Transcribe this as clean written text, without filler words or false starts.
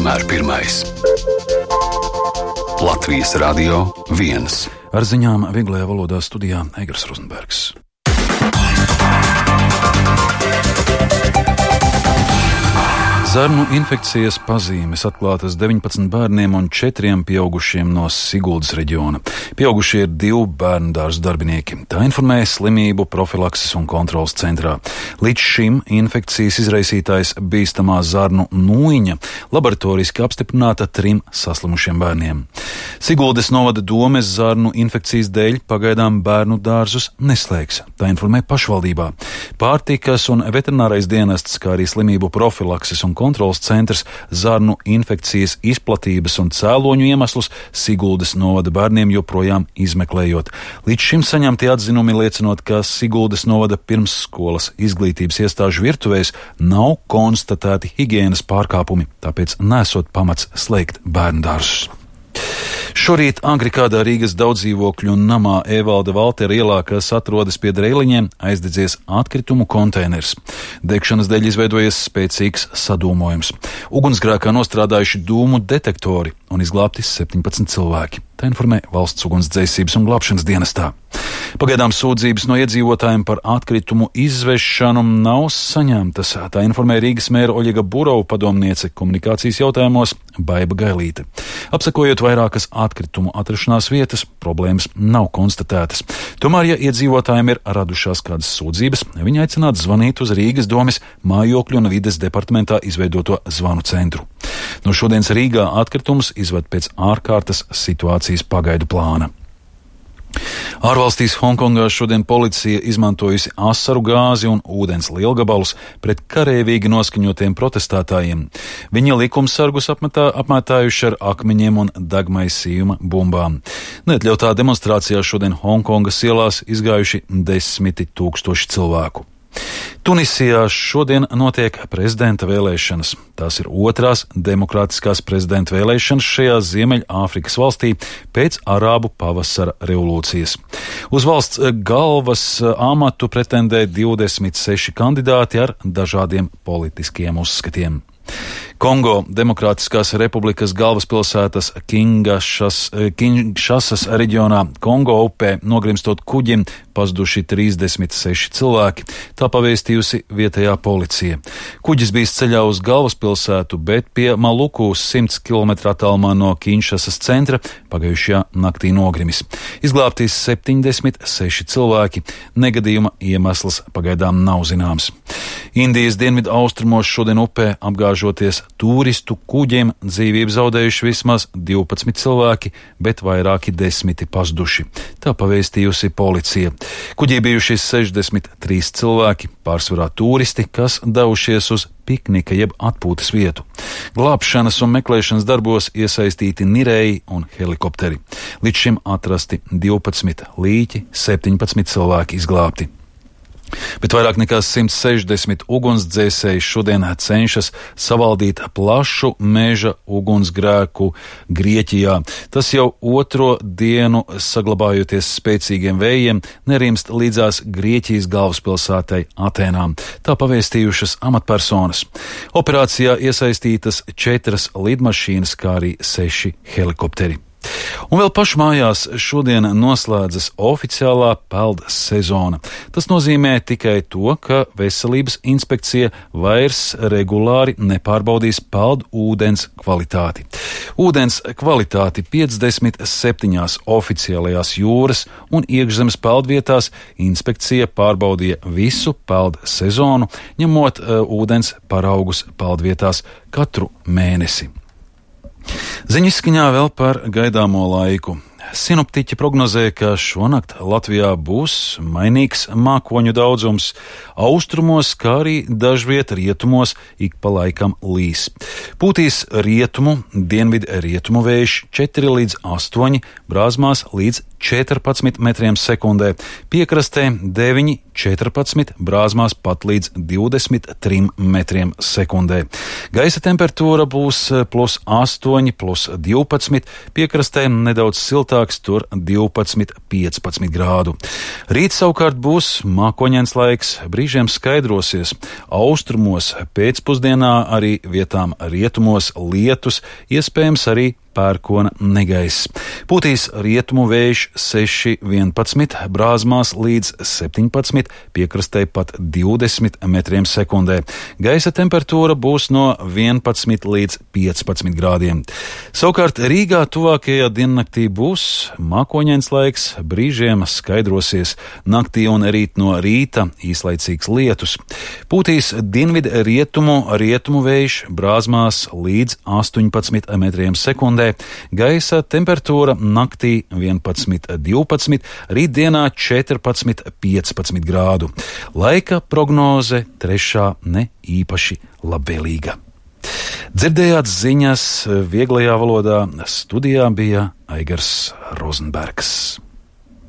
vienmēr pirmais. Latvijas Radio 1. Ar ziņām vieglajā valodā studijā Egars Rozenbergs. Zarnu infekcijas pazīmes atklātas 19 bērniem un 4 pieaugušiem no Siguldas reģiona. Pieaugušie ir 2 bērnu dārza darbinieki. Tā informēja Slimību profilakses un kontrolas centrā. Līdz šim infekcijas izraisītājs bīstamā zarnu nūjiņa laboratoriski apstiprināta 3 saslimušiem bērniem. Siguldas novada domes zarnu infekcijas dēļ pagaidām bērnu dārzus neslēgs. Tā informē pašvaldībā. Pārtikas un veterinārais dienests, kā arī Slimību profilakses un kontrolas centrs zarnu infekcijas izplatības un cēloņu iemeslus Siguldas novada bērniem joprojām izmeklējot. Līdz šim saņemti atzinumi liecinot, ka Siguldas novada pirmsskolas izglītības iestāžu virtuvēs nav konstatēti higienas pārkāpumi, tāpēc nesot pamats slēgt bērnu dārzus. Šorīt agri kādā Rīgas daudzdzīvokļu namā Evalda Valtera ielā, kas atrodas pie Dreiliņiem, aizdedzies atkritumu konteiners. Degšanas dēļ izveidojies spēcīgs sadūmojums. Ugunsgrēkā nostrādājuši dūmu detektori un izglābti 17 cilvēki. Tā informē Valsts ugunsdzēsības un glābšanas dienestā. Pagaidām sūdzības no iedzīvotājiem par atkritumu izvešanu nav saņemtas. Tā informē Rīgas mēra Oļega Burova padomniece komunikācijas jautājumos Baiba Gailīte. Apsakojot vairākas atkritumu atrašanās vietas, problēmas nav konstatētas. Tomēr, ja iedzīvotājiem ir radušās kādas sūdzības, viņi aicinātu zvanīt uz Rīgas domes mājokļu un vides departamentā izveidoto zvanu centru. No šodienas Rīgā atkritumus izved pēc ārkārtas situācijas pagaidu plāna. Ārvalstīs Hongkongā šodien policija izmantojusi asaru gāzi un ūdens lielgabalus pret karavīgi noskaņotiem protestētājiem. Viņi likumsargus apmētājuši ar akmeņiem un degmaisījuma bumbām. Neatļautā demonstrācijā šodien Hongkongas ielās izgājuši 10 000 cilvēku. Tunisijā šodien notiek prezidenta vēlēšanas. Tās ir otrās demokrātiskās prezidenta vēlēšanas šajā Ziemeļāfrikas valstī pēc Arābu pavasara revolūcijas. Uz valsts galvas amatu pretendē 26 kandidāti ar dažādiem politiskiem uzskatiem. Kongo Demokrātiskās republikas galvaspilsētas Kinšasas reģionā Kongo upē nogrimstot kuģim pazuduši 36 cilvēki, tā pavēstījusi vietējā policija. Kuģis bijis ceļā uz galvaspilsētu, bet pie Maluku 100 km attālumā no Kinšasas centra pagājušajā naktī nogrimis. Izglābtīs 76 cilvēki, negadījuma iemesls pagaidām nav zināms. Indijas dienvidu austrumos šodien upē apgāžoties turistu kuģiem dzīvību zaudējuši vismaz 12 cilvēki, bet vairāki 10 pazuduši. Tā pavēstījusi policija. Kuģī bijuši 63 cilvēki, pārsvarā turisti, kas devušies uz piknika jeb atpūtas vietu. Glābšanas un meklēšanas darbos iesaistīti nirēji un helikopteri. Līdz šim atrasti 12 līķi, 17 cilvēki izglābti. Bet vairāk nekā 160 ugunsdzēsēji šodien cenšas savaldīt plašu meža ugunsgrēku Grieķijā. Tas jau otro dienu, saglabājoties spēcīgiem vējiem, nerimst līdzās Grieķijas galvaspilsētai Atēnām. Tā pavēstījušas amatpersonas. Operācijā iesaistītas 4 lidmašīnas, kā arī 6 helikopteri. Un vēl pašmājās šodien noslēdzas oficiālā peldu sezona. Tas nozīmē tikai to, ka veselības inspekcija vairs regulāri nepārbaudīs peldu ūdens kvalitāti. Ūdens kvalitāti 57 oficiālajās jūras un iekšzemes peldvietās inspekcija pārbaudīja visu peldu sezonu, ņemot ūdens paraugus peldvietās katru mēnesi. Ziņu izskaņā vēl par gaidāmo laiku. Sinoptiķi prognozē, ka šonakt Latvijā būs mainīgs mākoņu daudzums, austrumos, kā arī dažviet rietumos ik pa laikam līs. Pūtīs rietumu, dienvidu rietumu vējš 4 līdz 8, brāzmās līdz 14 metriem sekundē, piekrastē 9, 14, brāzmās pat līdz 23 metriem sekundē. Gaisa temperatūra būs +8, +12, piekrastē nedaudz siltāks, tur 12-15 grādu. Rīt savukārt būs mākoņains laiks, brīžiem skaidrosies, austrumos pēcpusdienā arī vietām rietumos lietus, iespējams arī pērkona negaiss. Pūtīs rietumu vējš 6–11, brāzmās līdz 17, piekrastē pat 20 metriem sekundē. Gaisa temperatūra būs no 11 līdz 15 grādiem. Savukārt Rīgā tuvākajā diennaktī būs mākoņains laiks, brīžiem skaidrosies, naktī un rīt no rīta īslaicīgs lietus. Pūtīs dienvidu rietumu vējš, brāzmās līdz 18 metriem sekundē. Gaisa temperatūra naktī 11–12, rītdienā 14–15 grādu. Laika prognoze trešā ne īpaši labvēlīga. Dzirdējāt ziņas vieglajā valodā, studijā bija Aigars Rozenbergs.